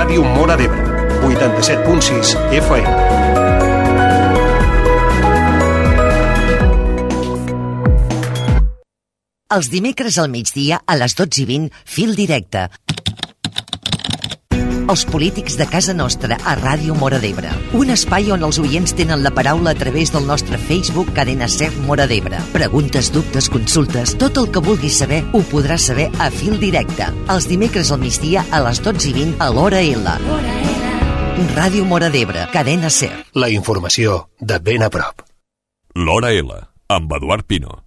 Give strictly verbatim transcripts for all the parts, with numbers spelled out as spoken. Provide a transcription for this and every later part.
Ràdio Móra d'Ebre, vuitanta-set punt sis F M. Els dimecres al migdia a les dotze i vint, Fil Directe. Els polítics de casa nostra a Ràdio Móra d'Ebre. Un espai on els oients tenen la paraula a través del nostre Facebook Cadena Ser Móra d'Ebre. Preguntes, dubtes, consultes, tot el que vulguis saber ho podràs saber a Fil Directe. Els dimecres al migdia a les dotze i vint a l'Hora L. Ràdio Móra d'Ebre, Cadena Ser. La informació de ben a prop. L'Hora L, amb Eduard Pino.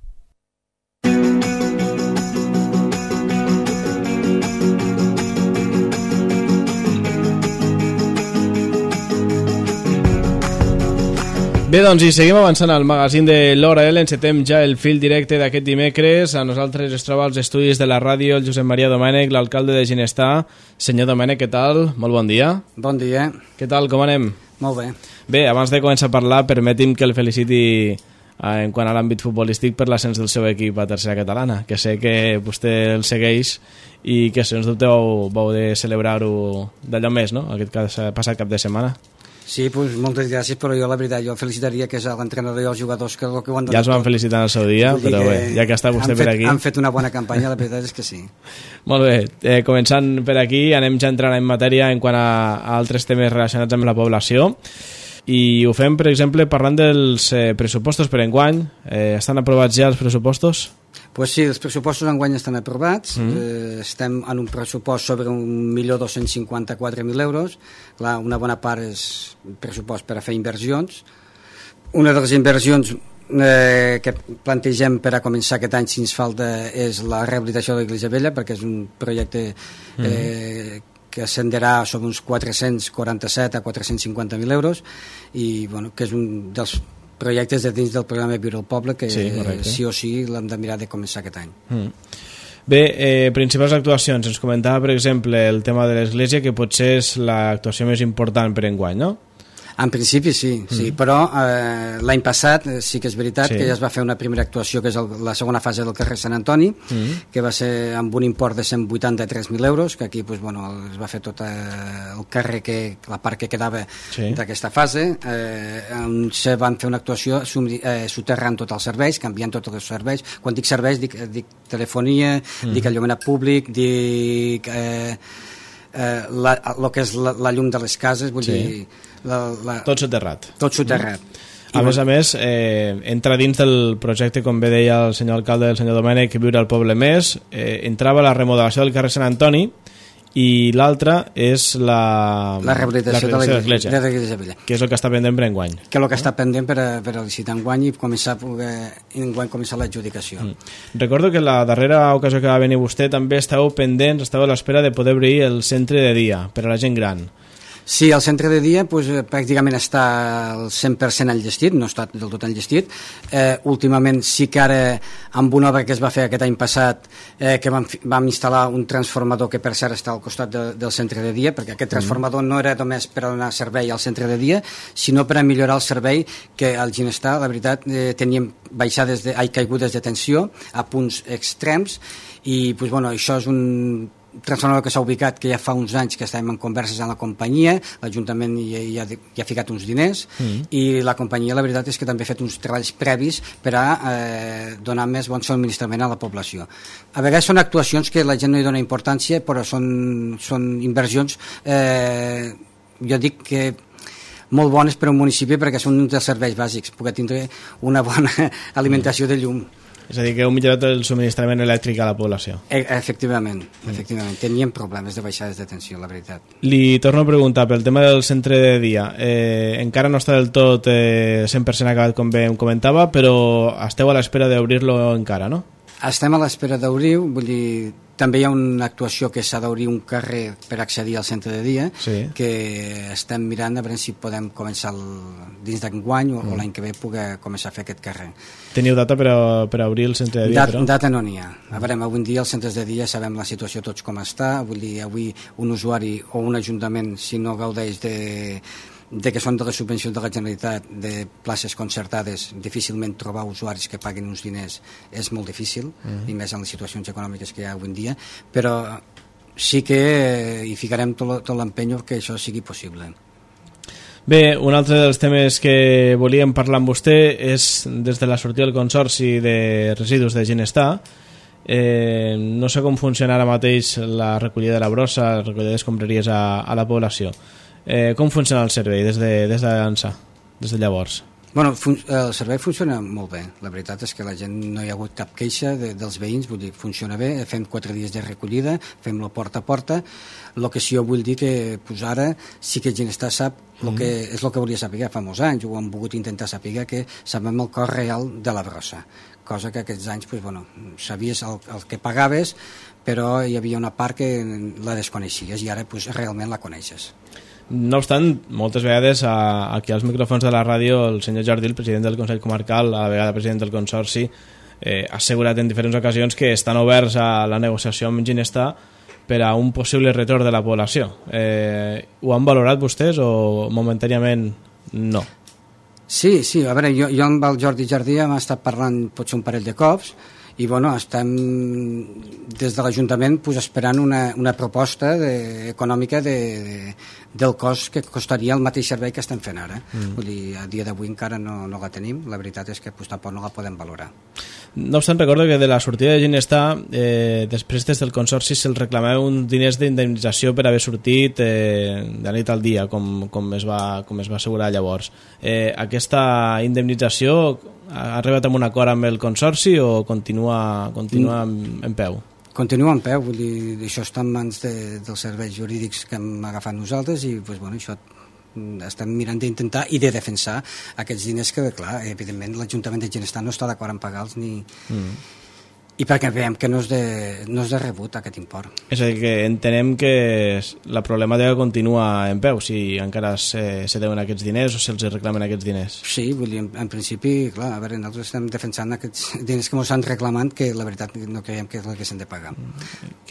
Bé, doncs, i seguim avançant al magazín de l'Hora L. Encetem ja el fil directe d'aquest dimecres. A nosaltres es troba als estudis de la ràdio el Josep Maria Domènech, l'alcalde de Ginestar. Senyor Domènech, què tal? Molt bon dia. Bon dia. Què tal, com anem? Molt bé. Bé, abans de començar a parlar, permeti'm que el feliciti eh, en quant a l'àmbit futbolístic per l'ascens del seu equip a tercera catalana, que sé que vostè el segueix i que, sens dubte, vau, vau de celebrar-ho d'allò més, no?, aquest passat cap de setmana. Sí, pues, moltes gràcies, però jo la veritat, jo felicitaria que és l'entrenador i els jugadors que, que ho han donat. Ja els van felicitar en el seu dia, però bé, ja que està vostè per aquí... Han fet una bona campanya, la veritat és que sí. Molt bé, eh, començant per aquí, anem ja entrant en matèria en quant a, a altres temes relacionats amb la població, i ho fem, per exemple, parlant dels eh, pressupostos per enguany. Eh, estan aprovats ja els pressupostos? Pues sí, els pressupostos enguany estan aprovats. Mm. Eh, estem en un pressupost sobre un milió dos-cents cinquanta-quatre mil euros. Clar, una bona part és pressupost per a fer inversions. Una de les inversions eh, que plantegem per a començar aquest any, si ens falta, és la rehabilitació de l'Iglesia Vella, perquè és un projecte eh, mm. que ascenderà sobre uns quatre-cents quaranta-set a quatre-cents cinquanta mil euros, i bueno, que és un dels projectes de dins del programa Viure al Poble que sí, sí o sí l'hem de mirar de començar aquest any. Mm. Bé, eh, principals actuacions. Ens comentava, per exemple, el tema de l'església, que potser és l'actuació més important per enguany, no? En principi sí, sí. Mm. Però eh, l'any passat eh, sí que és veritat sí. que ja es va fer una primera actuació, que és el, la segona fase del carrer Sant Antoni, mm. que va ser amb un import de cent vuitanta-tres mil euros, que aquí pues, bueno, es va fer tot eh, el carrer, que, la part que quedava sí. d'aquesta fase, eh, on se van fer una actuació eh, soterrant tots els serveis, canviant tots els serveis. Quan dic serveis dic, dic telefonia, mm. dic enllumenat públic, dic eh, eh, la, el que és la, la llum de les cases, vull sí. dir... La, la... Tot soterrat. Tot soterrat. Mm. A més a més, eh, entra dins del projecte, com bé deia el senyor alcalde, el senyor Domènech, Viure al Poble Més, eh, entrava la remodelació del carrer Sant Antoni, i l'altra és la, la rehabilitació la de l'Església Vella, que és el que està pendent per enguany. Que és el que està pendent per a, per a licitar enguany i començar, enguany començar l'adjudicació. Mm. Recordo que la darrera ocasió que va venir vostè també estàveu pendents, estàveu a l'espera de poder obrir el centre de dia per a la gent gran. Sí, el centre de dia pues, pràcticament està al cent per cent enllestit, no està del tot enllestit. Eh, últimament sí que ara, amb una obra que es va fer aquest any passat, eh, que vam, vam instal·lar un transformador que per cert està al costat de, del centre de dia, perquè aquest transformador no era només per donar servei al centre de dia, sinó per a millorar el servei, que al Ginestar, la veritat, eh, teníem baixades de, ai, caigudes de tensió a punts extrems, i pues, bueno, això és un transformador que s'ha ubicat, que ja fa uns anys que estàvem en converses amb la companyia, l'Ajuntament ja, ja, ja ha ficat uns diners, mm. i la companyia la veritat és que també ha fet uns treballs previs per a eh, donar més bon subministrament a la població. A vegades són actuacions que la gent no hi dona importància, però són, són inversions, eh, jo dic que molt bones per a un municipi, perquè són uns dels serveis bàsics, poder tindre una bona alimentació de llum. És a dir, que heu millorat el subministrament elèctric a la població. E efectivament, efectivament. Teníem problemes de baixades de tensió, la veritat. Li torno a preguntar pel tema del centre de dia. Eh, encara no està del tot eh, cent per cent acabat, com bé em comentava, però esteu a l'espera d'obrir-lo encara, no? Estem a l'espera d'obrir, vull dir, també hi ha una actuació que s'ha d'obrir un carrer per accedir al centre de dia, sí. que estem mirant a veure si podem començar el, dins d'enguany o, mm. o l'any que ve poder començar a fer aquest carrer. Teniu data per a, per a obrir el centre de dia? Dat, data no n'hi ha. A veure, avui en dia els centres de dia sabem la situació tots com està, vull dir, avui un usuari o un ajuntament, si no gaudeix de de que són de les subvencions de la Generalitat de places concertades, difícilment trobar usuaris que paguin uns diners és molt difícil, mm. i més en les situacions econòmiques que hi ha avui en dia, però sí que eh, hi ficarem tot, tot l'empenyo que això sigui possible. Bé, un altre dels temes que volíem parlar amb vostè és des de la sortida del Consorci de Residus de Ginestar. Eh, no sé com funciona ara mateix la recollida de la brossa, la recollida d'escombraries a, a la població. Eh, com funciona el servei des de, des de l'Ansa, des de llavors? Bueno, el servei funciona molt bé. La veritat és que la gent no hi ha hagut cap queixa de, dels veïns, vull dir, funciona bé. Fem quatre dies de recollida, fem-lo porta a porta. El que sí jo vull dir que pues ara sí que Ginestar sap el que, és el que volia saber fa molts anys, ho hem volgut intentar saber, que sabem el cost real de la brossa, cosa que aquests anys pues, bueno, sabies el, el que pagaves, però hi havia una part que la desconeixies i ara pues, realment la coneixes. No obstant, moltes vegades a, aquí als micròfons de la ràdio el senyor Jordi, el president del Consell Comarcal, a la vegada president del Consorci, eh, ha assegurat en diferents ocasions que estan oberts a la negociació amb Ginestar per a un possible retorn de la població. Eh, ho han valorat vostès o momentàniament no? Sí, sí, a veure, jo, jo amb el Jordi Jardí hem estat parlant potser un parell de cops i bueno, estem des de l'Ajuntament pues, esperant una, una proposta de, econòmica de, de, del cost que costaria el mateix servei que estem fent ara. Mm. Vull dir, a dia d'avui encara no, no la tenim, la veritat és que pues, tampoc no la podem valorar. No obstant, recordo que de la sortida de Ginestar, eh, després des del Consorci se'ls reclamava uns diners d'indemnització per haver sortit eh, de la nit al dia, com, com, es va, com es va assegurar llavors. Eh, aquesta indemnització ha arribat a un acord amb el Consorci o continua, continua en, en peu? Continua en peu, vull dir, això està en mans de, dels serveis jurídics que hem agafat nosaltres i pues, bueno, això estem mirant d'intentar i de defensar aquests diners que, clar, evidentment l'Ajuntament de Ginestar no està d'acord en pagar-los ni... Mm. I perquè veiem que no és, de, no és de rebut aquest import. És a dir, que entenem que la problemàtica continua en peu, si encara se, se deuen aquests diners o se'ls reclamen aquests diners. Sí, vull dir, en, en principi, clar, a veure, nosaltres estem defensant aquests diners que ens han reclamat, que la veritat no creiem que és el que s'han de pagar.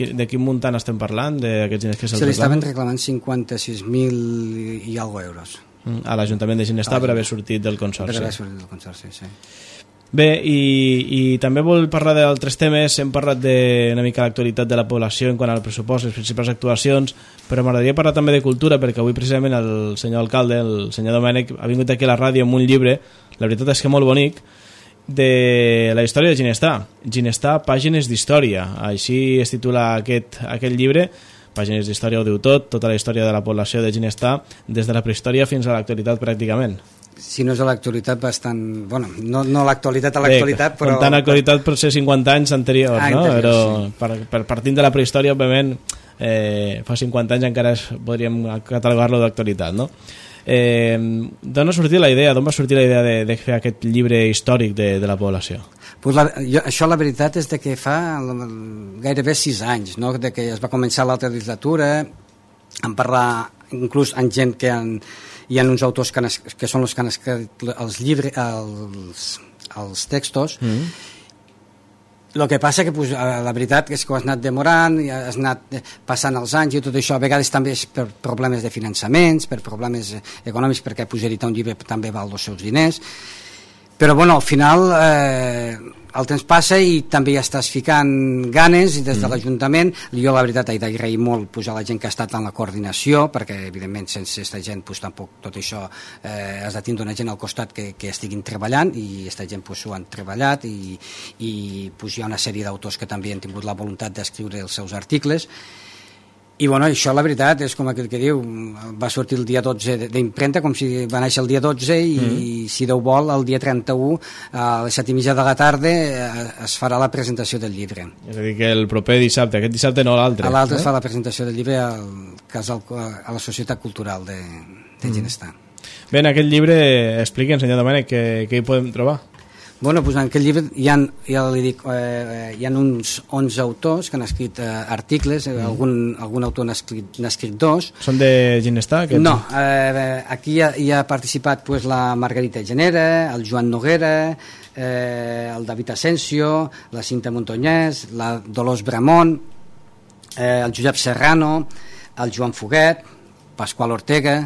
De quin muntant estem parlant, d'aquests diners que se'ls se reclamen? Se li estaven reclamant cinquanta-sis mil i algo euros. A l'Ajuntament de Ginestar per haver sortit del Consorci. Per haver sortit del Consorci, sí. Bé, i, i també vol parlar d'altres temes. Hem parlat de una mica l'actualitat de la població en quant al pressupost, les principals actuacions, però m'agradaria parlar també de cultura, perquè avui precisament el senyor alcalde, el senyor Domènech, ha vingut aquí a la ràdio amb un llibre, la veritat és que molt bonic, de la història de Ginestar. Ginestar, pàgines d'història. Així es titula aquest, aquest llibre. Pàgines d'història ho diu tot, tota la història de la població de Ginestar, des de la prehistòria fins a l'actualitat pràcticament. Si no és a l'actualitat bastant... Bueno, no, no l'actualitat a l'actualitat, però... Comptant l'actualitat per ser cinquanta anys anteriors, ah, no? Anterior, però sí. per, per partint de la prehistòria, òbviament, eh, fa cinquanta anys encara es, podríem catalogar-lo d'actualitat, no? Eh, d'on ha sortit la idea, d'on va sortir la idea de, de fer aquest llibre històric de, de la població? Pues la, jo, això la veritat és de que fa gairebé sis anys, no? De que es va començar l'altra legislatura, en parlar inclús amb gent que han... Hi ha uns autors que, han, que són els que han escrit els llibres, els, els textos. Mm. El que passa que pues, la veritat és que ho has anat demorant, has anat passant els anys i tot això, a vegades també és per problemes de finançaments, per problemes econòmics, perquè pues, editar un llibre també val els seus diners. Però bueno, al final eh, el temps passa i també ja estàs ficant ganes i des de l'Ajuntament. Jo la veritat he d'agrair molt pues, a la gent que ha estat en la coordinació, perquè evidentment sense aquesta gent pues, tampoc tot això eh, has de tindre una gent al costat que, que estiguin treballant i aquesta gent pues, ho han treballat i, i pues, hi ha una sèrie d'autors que també han tingut la voluntat d'escriure els seus articles. I bueno, això la veritat és com aquell que diu, va sortir el dia dotze d'impremta, com si va néixer el dia dotze i mm. si Déu vol el dia trenta-u a les set i mitja de la tarda es farà la presentació del llibre. És a dir, que el proper dissabte, aquest dissabte no l'altre. A l'altre no? Es fa la presentació del llibre al casal, a la Societat Cultural de, de mm. Ginestar. Bé, en aquest llibre expliquen, senyor Domènech, què, què hi podem trobar? Bueno, doncs en aquest llibre hi ha, ja li dic, eh, hi ha uns onze autors que han escrit eh, articles, mm. algun, algun autor n'ha escrit, n'ha escrit dos. Són de Ginestar? Aquests? No, eh, aquí hi ha, hi ha participat pues, la Margarita Genera, el Joan Noguera, eh, el David Asensio, la Cinta Montañés, la Dolors Bramont, eh, el Josep Serrano, el Joan Foguet, Pasqual Ortega,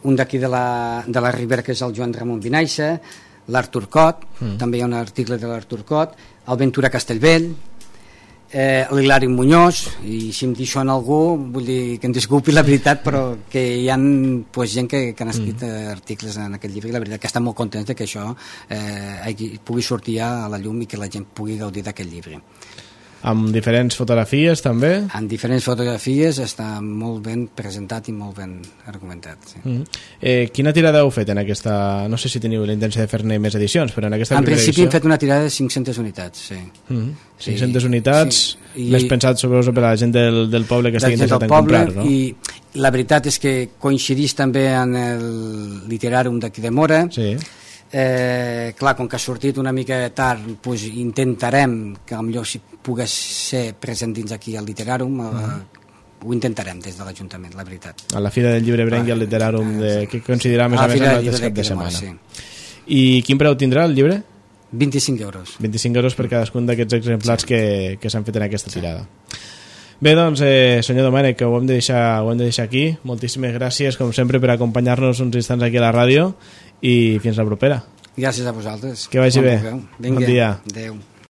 un d'aquí de la, de la Ribera que és el Joan Ramon Vinaixa, l'Artur Cot, mm. també hi ha un article de l'Artur Cot, el Ventura Castellvell, eh, l'Hilari Muñoz, i si em deixo en algú vull dir que em disculpi la veritat, però que hi ha pues, gent que, que han escrit mm. articles en aquest llibre, i la veritat que estan molt contents que això eh, pugui sortir a la llum i que la gent pugui gaudir d'aquest llibre. Amb diferents fotografies també? En diferents fotografies, està molt ben presentat i molt ben argumentat. Sí. Mm. Eh, quina tirada heu fet en aquesta... No sé si teniu la intenció de fer-ne més edicions, però en aquesta en primera edició... En principi hem fet una tirada de cinc-centes unitats, sí. Mm. cinc-centes sí, unitats, sí. Més I, pensat sobre per a la gent del, del poble que estigui interessat en comprar, no? I la veritat és que coincidís també en el literàrum d'aquí de Mora. Sí. Eh, clar, com que ha sortit una mica tard, pues, intentarem que potser si pogués ser present dins aquí al Literàrum, uh -huh. eh, ho intentarem des de l'Ajuntament, la veritat. A la Fira del Llibre Brenc i al Literàrum, de, que considerar més a, a més el mateix cap de setmana. Sí. I quin preu tindrà el llibre? vint-i-cinc euros. vint-i-cinc euros per cadascun d'aquests exemplars sí. que, que s'han fet en aquesta tirada. Bé, doncs, eh, senyor Domènech, que ho hem de deixar, ho hem de deixar aquí. Moltíssimes gràcies, com sempre, per acompanyar-nos uns instants aquí a la ràdio i fins la propera. Gràcies a vosaltres. Que vagi bé. Vinga, bon dia. Adéu.